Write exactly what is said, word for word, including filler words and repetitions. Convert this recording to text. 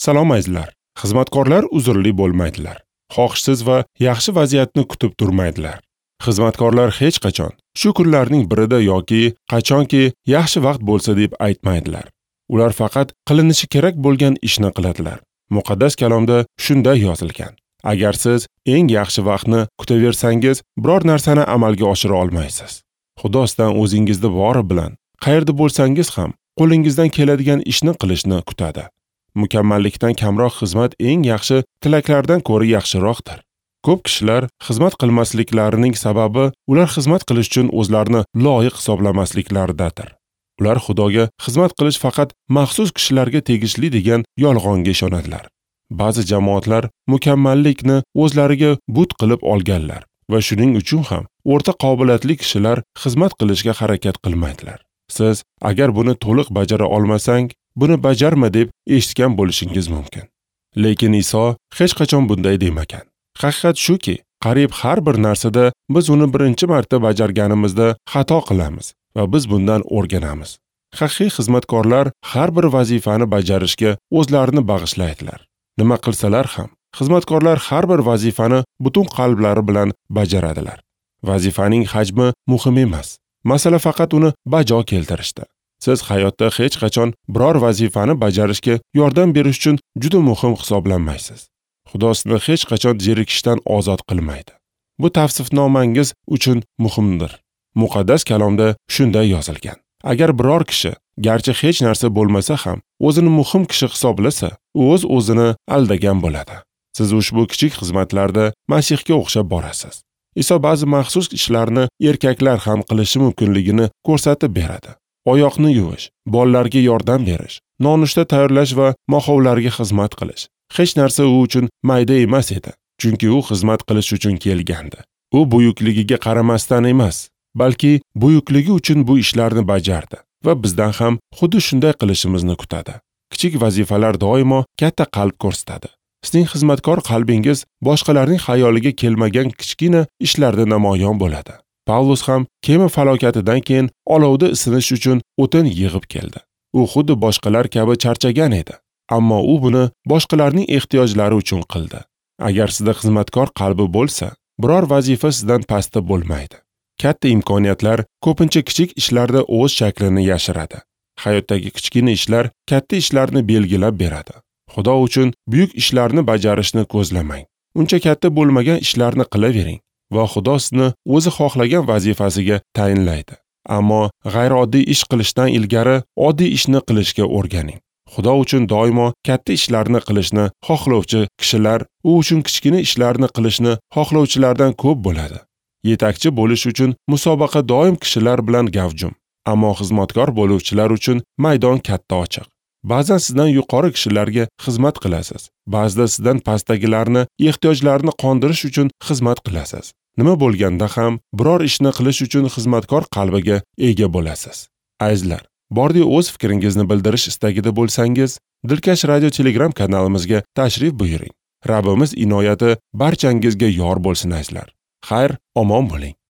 Salom azizlar. Xizmatkorlar uzrli bo'lmaydilar. Xohishsiz va yaxshi vaziyatni kutib turmaydilar. Xizmatkorlar hech qachon shu kunlarning birida yoki qachonki yaxshi vaqt bo'lsa deb aytmaydilar. Ular faqat qilinishi kerak bo'lgan ishni qiladilar. Muqaddas kalomda shunday yozilgan: agar siz eng yaxshi vaqtni kutaversangiz, biror narsani amalga oshira olmaysiz. Xudo sizdan o'zingizni bori bilan qayerda bo'lsangiz ham qo'lingizdan keladigan ishni qilishni kutadi. Mukammallikdan kamroq xizmat eng yaxshi tilaklardan ko'ra yaxshiroqdir. Ko'p kishilar xizmat qilmasliklarining sababi ular xizmat qilish uchun o'zlarini loyiq hisoblamasliklaridadir. Ular Xudoga xizmat qilish faqat maxsus kishilarga tegishli degan yolg'onga ishonadilar. Ba'zi jamoatlar mukammallikni o'zlariga but qilib olganlar va shuning uchun ham o'rta qobiliyatli kishilar xizmat qilishga harakat qilmaydilar. Siz agar buni to'liq bajara olmasang, buni bajarma deb eshitgan bo'lishingiz mumkin. Lekin Iso hech qachon bunday demagan. Haqiqat shuki, qariyb har bir narsada biz uni birinchi marta bajarganimizda xato qilamiz va biz bundan o'rganamiz. Haqiqiy xizmatkorlar har bir vazifani bajarishga o'zlarini bag'ishlaydilar. Nima qilsalar ham, xizmatkorlar har bir vazifani butun qalblari bilan bajaradilar. Vazifaning hajmi muhim emas. Masala faqat uni bajo keltirishda. Siz hayotda hech qachon biror vazifani bajarishga yordam berish uchun juda muhim hisoblanmaysiz. Xudo sizni hech qachon zerikishdan ozod qilmaydi. Bu tavsifnomangiz uchun muhimdir. Muqaddas kalomda shunday yozilgan: agar biror kishi, garchi hech narsa bo'lmasa ham, o'zini muhim kishi hisoblasa, u o'z o'zini aldagan bo'ladi. Siz ushbu kichik xizmatlarda Masihga o'xshab borasiz. Iso ba'zi maxsus ishlarni erkaklar ham qilishi mumkinligini ko'rsatib beradi. Oyoqni yuvish, bolalarga yordam berish, nonushta tayyorlash va mohovlarga xizmat qilish. Hech narsa u uchun mayda emas edi, chunki u xizmat qilish uchun kelgandi. U buyukligiga qaramasdan emas, balki buyukligi uchun bu ishlarni bajardi va bizdan ham xuddi shunday qilishimizni kutadi. Kichik vazifalar doimo katta qalb ko'rsatadi. Sizning xizmatkor qalbingiz boshqalarning xayoliga kelmagan kichkina ishlarda namoyon bo'ladi. Pavlus ham kema falokatidan keyin olovda isinish uchun o'tin yig'ib keldi. U xuddi boshqalar kabi charchagan edi, ammo u buni boshqalarning ehtiyojlari uchun qildi. Agar sizda xizmatkor qalbi bo'lsa, biror vazifa sizdan pastda bo'lmaydi. Katta imkoniyatlar ko'pincha kichik ishlarda o'z shaklini yashiradi. Hayotdagi kichkina ishlar katta ishlarni belgilab beradi. Xudo uchun buyuk ishlarni bajarishni ko'zlamang. Uncha katta bo'lmagan ishlarni qilavering va Xudo sizni o'zi xohlagan vazifasiga tayinlaydi. Ammo g'ayrioddiy ish qilishdan ilgari oddiy ishni qilishga o'rganing. Xudo uchun doimo katta ishlarni qilishni xohlovchi kishilar u uchun kichkina ishlarni qilishni xohlovchilardan ko'p bo'ladi. Yetakchi bo'lish uchun musobaqa doim kishilar bilan gavjum, ammo xizmatkor bo'luvchilar uchun maydon katta ochiq. Ba'zan sizdan yuqori kishilarga xizmat qilasiz, ba'zida sizdan pastdagilarni ehtiyojlarini qondirish uchun xizmat qilasiz. Nima bo'lganda ham biror ishni qilish uchun xizmatkor qalbiga ega bo'lasiz. Azizlar, bordi o'z fikringizni bildirish istagida bo'lsangiz, Dilkash Radio Telegram kanalimizga tashrif buyuring. Rabbimiz inoyati barchangizga yor bo'lsin azizlar. Xayr, omon bo'ling.